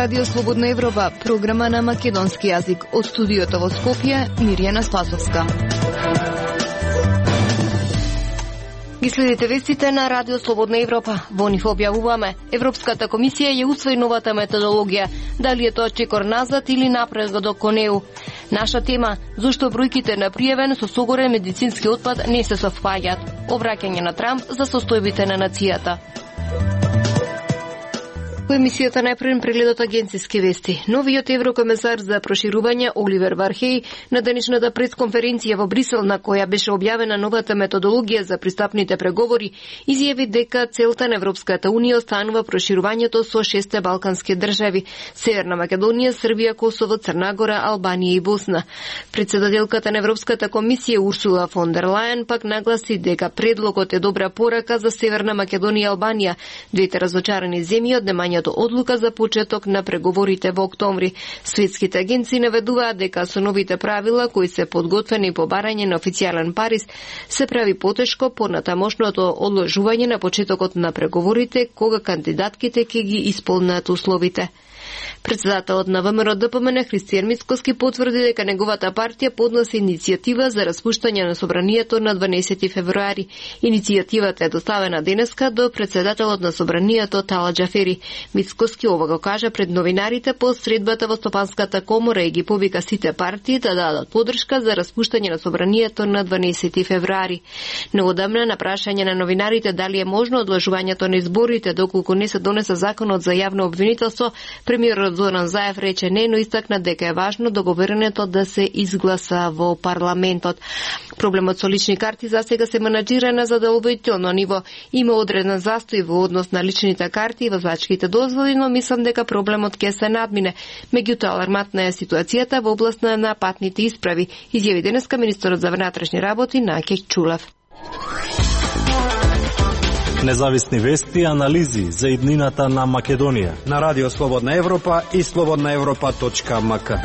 Радио Слободна Европа, програма на македонски јазик. Од студиото во Скопје, Мирјана Спасовска. Ги следите вестите на Радио Слободна Европа. Во нив објавуваме: Европската комисија ја усвои новата методологија. Дали е тоа чекор назад или напредок кон неу? Наша тема: зошто бројките на пријавен со согорен медицински отпад не се совпаѓаат? Обраќање на Трамп за состојбите на нацијата. Во емисијата најпрвен прегледот агенциски вести. Новиот еврокомесар за проширување Оливер Вархеј на денешната пресконференција во Брисел, на која беше објавена новата методологија за пристапните преговори, изјави дека целта на Европската унија останува проширувањето со 6 балкански држави: Северна Македонија, Србија, Косово, Црна Гора, Албанија и Босна. Председателката на Европската комисија Урсула фон дер Лајен пак нагласи дека предлогот е добра порака за Северна Македонија и Албанија, двете разочарани земји од немањето одлука за почеток на преговорите во октомври. Светските агенции наведуваат дека со новите правила кои се подготвени по барање на официјален Париз, се прави потешко понатамошното одложување на почетокот на преговорите кога кандидатките ќе ги исполнат условите. Председателот на ВМРО ДПМН Христијан Мицкоски потврди дека неговата партија подноси иницијатива за распуштање на собранието на 12 февруари. Иницијативата е доставена денеска до председателот на собранието Тала Џафери. Мицкоски ова го кажа пред новинарите по средбата во Стопанската комора и ги повика сите партии да дадат подршка за распуштање на собранието на 12 февруари. Неодамна на прашање на новинарите дали е можно одложувањето на изборите доколку не се донесе законот за јавно обвинителство, премиерот Зоран Заев рече не, но истакна дека е важно договореното да се изгласа во парламентот. Проблемот со лични карти засега се менаџира на задоволително ниво. Има одреден застој во однос на личните карти и возачките дозволи, но мислам дека проблемот ќе се надмине. Меѓутоа, алармантна е ситуацијата во област на патните исправи, изјави денеска министерот за внатрешни работи Наќа Чулев. Независни вести и анализи за иднината на Македонија на Радио Слободна Европа и slobodnaevropa.mk.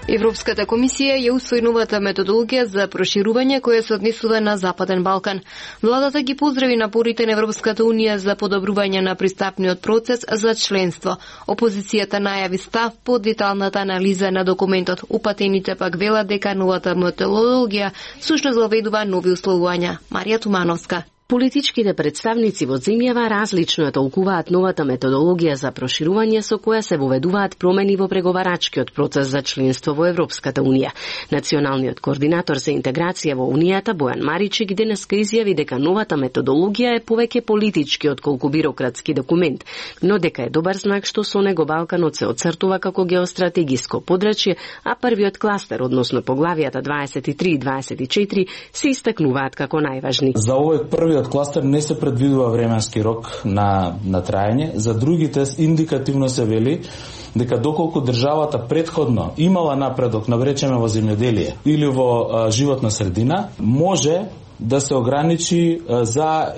Европската комисија ја усвои новата методологија за проширување која се однесува на Западен Балкан. Владата ги поздрави напорите на Европската унија за подобрување на пристапниот процес за членство. Опозицијата најави став по деталната анализа на документот. Упатените пак велат дека новата методологија сушност воведува нови условувања. Марија Тумановска. Политичките представници во земјава различно ја толкуваат новата методологија за проширување со која се воведуваат промени во преговарачкиот процес за членство во Европската унија. Националниот координатор за интеграција во Унијата Бојан Маричик денеска изјави дека новата методологија е повеќе политички отколку бирократски документ, но дека е добар знак што со него Балканот се оцртува како геостратегиско подрачје, а првиот кластер, односно поглавијата 23 и 24, се истакнуваат како најважни. За овој првиот кластер не се предвидува временски рок на траење, за другите индикативно се вели дека доколку државата претходно имала напредок, навречеме во земјоделие или во животна средина, може да се ограничи за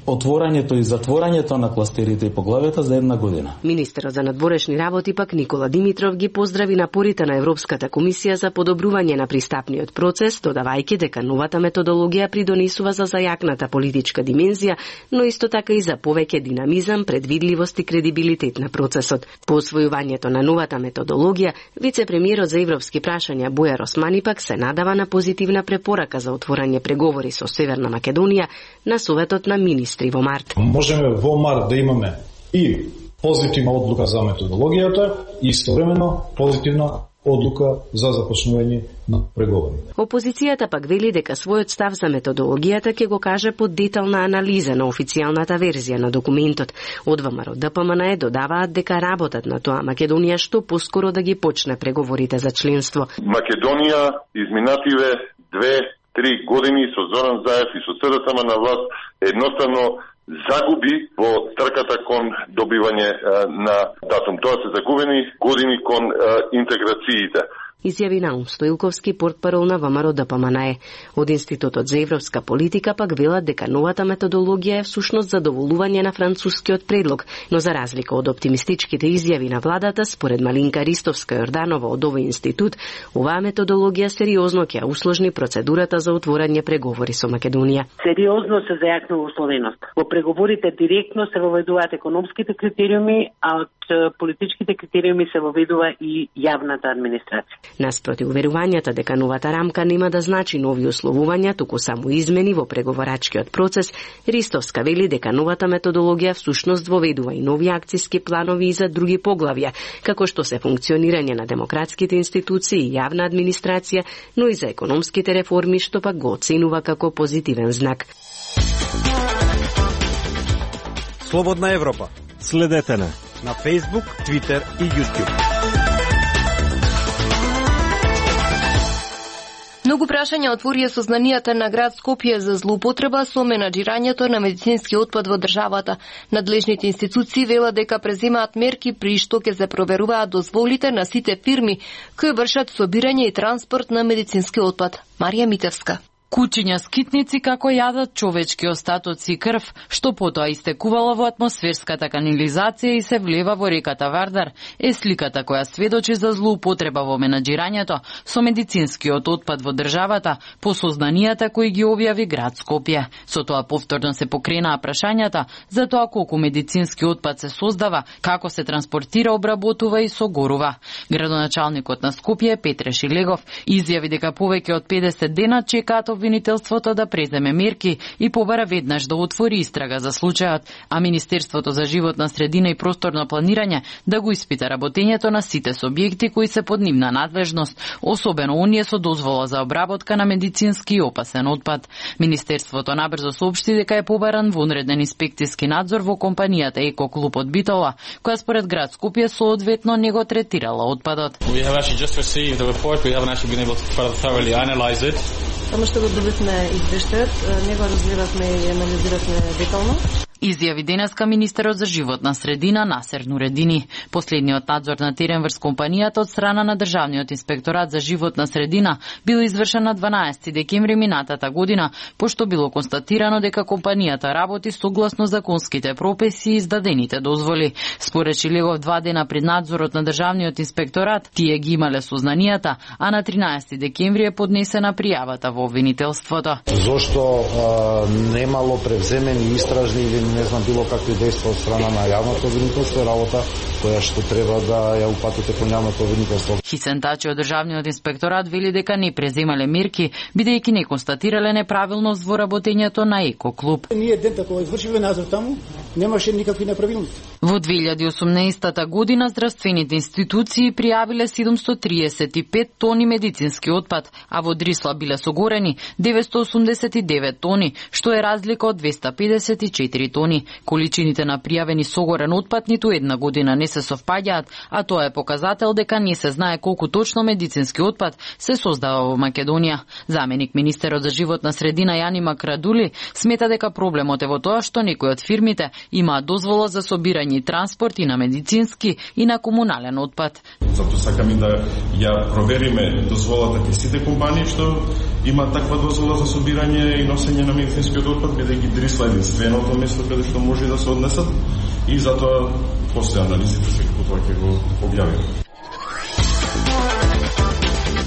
отворањето и затворањето на кластерите и поглавията за 1 година. Министерот за надворешни работи пак Никола Димитров ги поздрави напорите на Европската комисија за подобрување на пристапниот процес, додавајќи дека новата методологија придонесува за зајакната политичка димензија, но исто така и за повеќе динамизам, предвидливост и кредибилитет на процесот. По освојувањето на новата методологија, вице-премиерот за европски прашања Бојар Османи пак се надава на позитивна препорака за отворање преговори со Северна Македонија на Советот на министри во март. Можеме во март да имаме и позитивна одлука за методологијата и истовремено позитивна одлука за започнување на преговори. Опозицијата пак вели дека својот став за методологијата ќе го каже под детална анализа на официјалната верзија на документот. Од ВМРО ДПМН додаваат дека работат на тоа Македонија што поскоро да ги почне преговорите за членство. Македонија изминативе 2-3 години со Зоран Заев и со СДСМ на власт едноставно загуби во трката кон добивање на датум. Тоа се загубени години кон интеграциите. изјави Наум Стоилковски, портпарол на ВМРО ДПМНЕ. Од Институтот за европска политика пак велат дека новата методологија е всушност задоволување на францускиот предлог, но за разлика од оптимистичките изјави на владата, според Малинка Ристовска-Јорданова од овој институт, оваа методологија сериозно ќе усложни процедурата за отворање преговори со Македонија. Сериозно се зајакнува условеност. Во преговорите директно се воведуваат економските критериуми, а од политичките критериуми се воведува и јавната администрација. Наспроти уверувањата дека новата рамка нема да значи нови условувања, туку само измени во преговарачкиот процес, Ристовска вели дека новата методологија всушност воведува и нови акциски планови и за други поглавја, како што се функционирање на демократските институции и јавна администрација, но и за економските реформи, што пак го оценува како позитивен знак. Слободна Европа. Следете на Facebook, Twitter и YouTube. Многу прашања отворија сознанијата на град Скопје за злоупотреба со менаџирањето на медицински отпад во државата. Надлежните институции велат дека преземаат мерки при што ќе се проверуваат дозволите на сите фирми кои вршат собирање и транспорт на медицински отпад. Марија Митевска. Кучиња скитници како јадат човечки остатоци и крв, што потоа истекувала во атмосферската канализација и се влева во реката Вардар, е сликата која сведочи за злоупотреба во менаџирањето со медицинскиот отпад во државата по сознанијата кои ги објави град Скопје. Со тоа повторно се покренаа прашањата за тоа колку медицински отпад се создава, како се транспортира, обработува и согорува. Градоначалникот на Скопје Петре Шилегов изјави дека повеќе од 50 дена чекаат обвинителството да преземе мерки и побара веднаш да отвори истрага за случајот, а Министерството за животна средина и просторно планирање да го испита работењето на сите субјекти кои се под нивна надлежност, особено оние со дозвола за обработка на медицински и опасен отпад. Министерството набрзо соопшти дека е побаран вонреден инспекцијски надзор во компанијата Еко Клуб од Битола, која според град Скопје соодветно не го третирала отпадот. Само што го добивме извештајот, не го разгледавме и анализиравме детално. Изјави денеска министерот за животна средина Насер Нуредини. Последниот надзор на терен врз компанијата од страна на Државниот инспекторат за животна средина бил извршен на 12 декември минатата година, пошто било констатирано дека компанијата работи согласно законските прописи и издадените дозволи. Според Шилегов, 2 дена пред надзорот на Државниот инспекторат, тие ги имале сознанијата, а на 13 декември е поднесена пријавата во обвинителството. Зошто немало превземени истражни или не знам било какви дејства од страна на јавното обвинителство, работа која што треба да ја упатите кон јавното обвинителство. Хисен Тачи од Државниот инспекторат вели дека не преземале мерки, бидејќи не констатирале неправилност во работењето на Еко Клуб. Ние дента кога извршивме надзор таму, немаше никакви неправилности. Во 2018 година здравствените институции пријавиле 735 тони медицински отпад, а во Дрисла биле согорени 989 тони, што е разлика од 254 тони. Количините на пријавени согорен отпад ниту една година не се совпаѓаат, а тоа е показател дека не се знае колку точно медицински отпад се создава во Македонија. Заменик министерот за животна средина Јани Макрадули смета дека проблемот е во тоа што некои од фирмите имаат дозвола за собирање и транспорт и на медицински и на комунален отпад. Затоа сакаме да ја провериме дозволата кај сите компании што имаат таква дозвола за собирање и носење на медицинскиот отпад, бидејќи Дрисла е единственото место каде што може да се однесат и затоа после анализите секако тоа ќе го објавиме.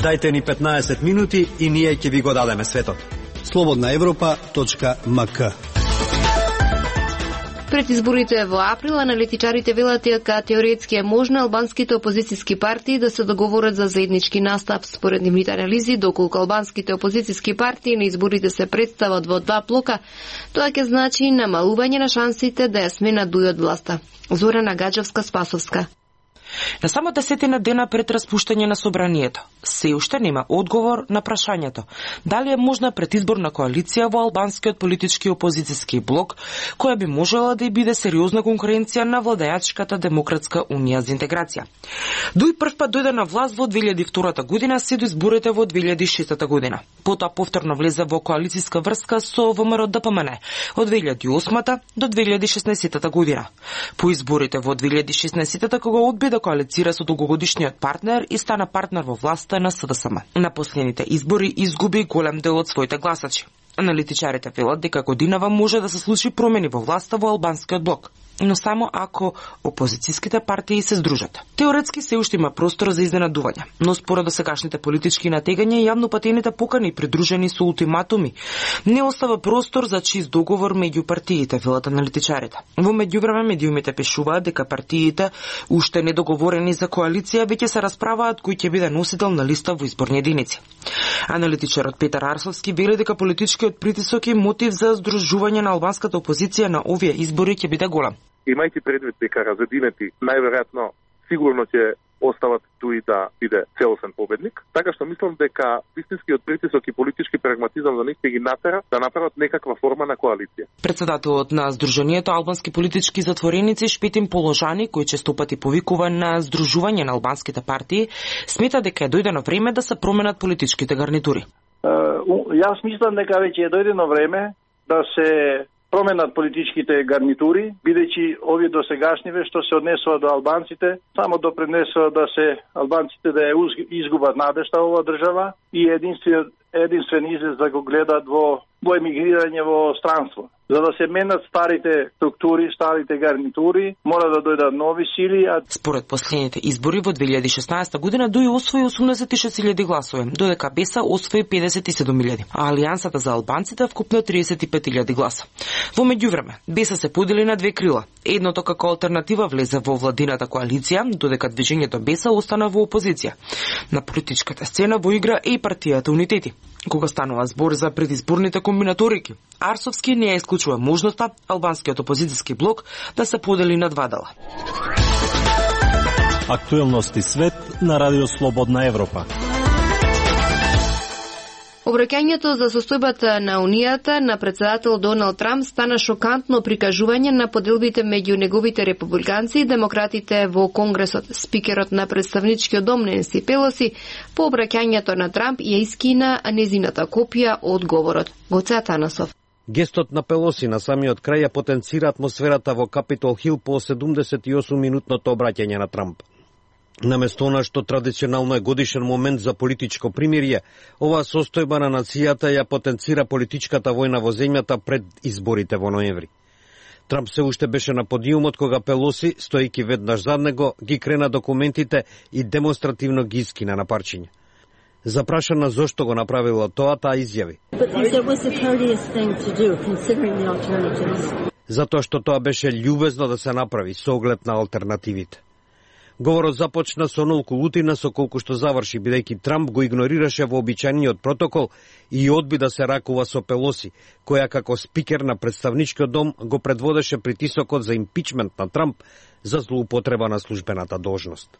Дајте ни 15 минути и ние ќе ви го дадеме светот. slobodnaevropa.mk. Пред изборите во април аналитичарите велат дека теоретски е можно албанските опозицијски партии да се договорат за заеднички настап. Според нивните анализи, доколку албанските опозицијски партии на изборите се представат во 2 блока, тоа ќе значи намалување на шансите да ја сменат дуј од власта. Зорана Гаджевска-Спасовска. На само 10 дена пред распуштање на собранието, се уште нема одговор на прашањето дали е можна предизборна коалиција во албанскиот политички опозицијски блок, која би можела да и биде сериозна конкуренција на владеачката Демократска унија за интеграција. Дуј прв пат дојде на власт во 2002 година, се до изборите во 2006 година. Потоа повторно влезе во коалицијска врска со ВМРО ДПМНЕ од 2008 до 2016 година. По изборите во 2016 кога одби да коалицира со долгогодишниот партнер и стана партнер во власта на СДСМ. На последните избори изгуби голем дел од своите гласачи. Аналитичарите велат дека годинава може да се случи промени во власта во албанскиот блок, но само ако опозицијските партии се здружат. Теоретски се уште има простор за изненадување, но според досегашните политички натегања јавно патените покани придружени со ултиматуми не остава простор за чист договор меѓу партиите, велат аналитичарите. Во меѓувреме медиумите пишуваат дека партиите уште недоговорени за коалиција веќе се расправаат кој ќе биде носител на листа во изборни единици. Аналитичарот Петар Арсовски вели дека политичкиот притисок и мотив за здружување на албанската опозиција на овие избори ќе биде голем. Имајќи предвид дека разединети најверојатно сигурно ќе остават туи да биде целосен победник, така што мислам дека вистинскиот притисок и политички прагматизам за нив ќе ги натера да направат некаква форма на коалиција. Председателот на Сдруженијето албански политички затвореници Шпетин Положани, кој честопати повикува на здружување на албанските партии, смета дека е дојдено време да се променат политичките гарнитури. Јас мислам дека веќе е дојдено време да се променат политичките гарнитури, бидејќи овие досегашниве што се однесува до албанците, само допринесува да се албанците да ја изгубат надежта во оваа држава и единствен излез да го гледат во емигрирање во странство. За да се менат старите структури, старите гарнитури, мора да дојдат нови сили. Според последните избори во 2016 година ДУИ освои 86.000 гласови, додека БЕСА освои 57.000, а Алијансата за албанците вкупно 35.000 гласа. Во меѓувреме, БЕСА се подели на две крила. Едното како алтернатива влезе во владината коалиција, додека движењето БЕСА остана во опозиција. На политичката сцена во игра е и партијата Унитети. Кога станува збор за предизборните комбинаторики, Арсовски не ја исклучува можноста албанскиот опозицијски блок да се подели на два дела. Актуелности свет на Радио Слободна Европа. Обраќањето за состојбата на Унијата на председател Доналд Трамп стана шокантно прикажување на поделбите меѓу неговите републиканци и демократите во Конгресот. Спикерот на представничкиот дом Ненси Пелоси по обраќањето на Трамп ја искина незината копија од говорот. Гоце Атанасов. Гестот на Пелоси на самиот крај ја потенцира атмосферата во Капитол Хил по 78-минутното обраќање на Трамп. Наместо она што традиционално е годишен момент за политичко примирие, оваа состојба на нацијата ја потенцира политичката војна во земјата пред изборите во ноември. Трамп се уште беше на подиумот кога Пелоси, стоејќи веднаш зад него, ги крена документите и демонстративно ги искина на парчиња. Запрашана зошто го направила тоа, таа изјави: затоа што тоа беше љубезно да се направи со оглед на алтернативите. Говорот започна со онолку лутина со колку што заврши, бидејќи Трамп го игнорираше вообичаениот протокол и одби да се ракува со Пелоси, која како спикер на представничкиот дом го предводеше притисокот за импичмент на Трамп за злоупотреба на службената должност.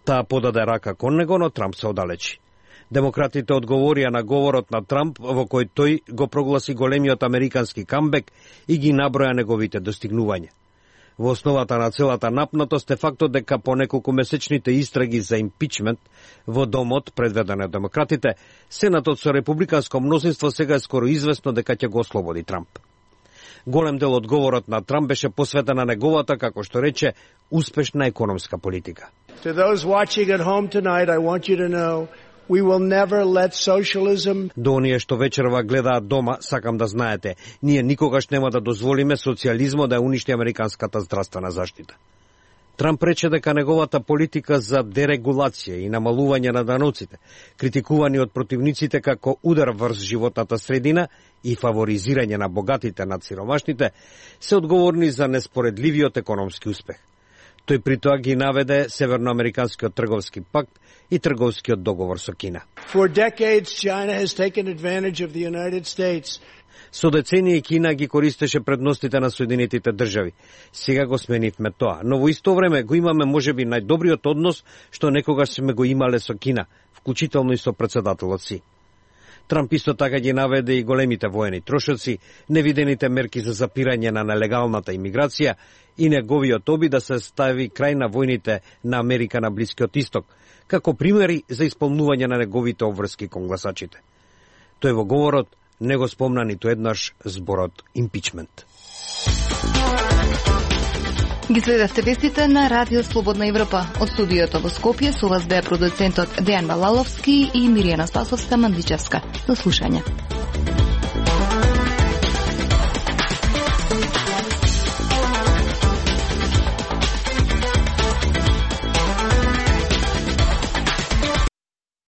Таа подаде рака кон него, но Трамп се оддалечи. Демократите одговорија на говорот на Трамп, во кој тој го прогласи големиот американски камбек и ги наброја неговите достигнувања. Во основата на целата напнатост е фактот дека по неколку месечните истраги за импичмент во домот предведен од демократите, Сенатот со републиканско мнозинство сега е скоро известно дека ќе го ослободи Трамп. Голем дел од говорот на Трамп беше посветен на неговата, како што рече, успешна економска политика. To those watching at home tonight, I want you to know we will never let socialism... До оние што вечерва гледаат дома, сакам да знаете, ние никогаш нема да дозволиме социјализмот да уништи американската здравствена заштита. Трамп рече дека неговата политика за дерегулација и намалување на даноците, критикувани од противниците како удар врз животната средина и фаворизирање на богатите над сиромашните, се одговорни за неспоредливиот економски успех. Тој при тоа ги наведе Северноамериканскиот трговски пакт и трговскиот договор со Кина. For decades, China has taken advantage of the United States. Со децении Кина ги користеше предностите на Соединетите држави. Сега го сменивме тоа, но во исто време го имаме можеби најдобриот однос што некогаш сме го имале со Кина, вклучително и со председателот си. Трамп исто така ги наведе и големите воени трошоци, невидените мерки за запирање на нелегалната имиграција и неговиот обид да се стави крај на војните на Америка на Блискиот Исток, како примери за исполнување на неговите обврски кон гласачите. Тој во говорот не го спомна ниту еднаш зборот импичмент. Ги следевте вестите на Радио Слободна Европа. Од студиото во Скопје со вас беа продуцентот Дејан Балаловски и Миријана Спасовска Мандичевска. До слушање.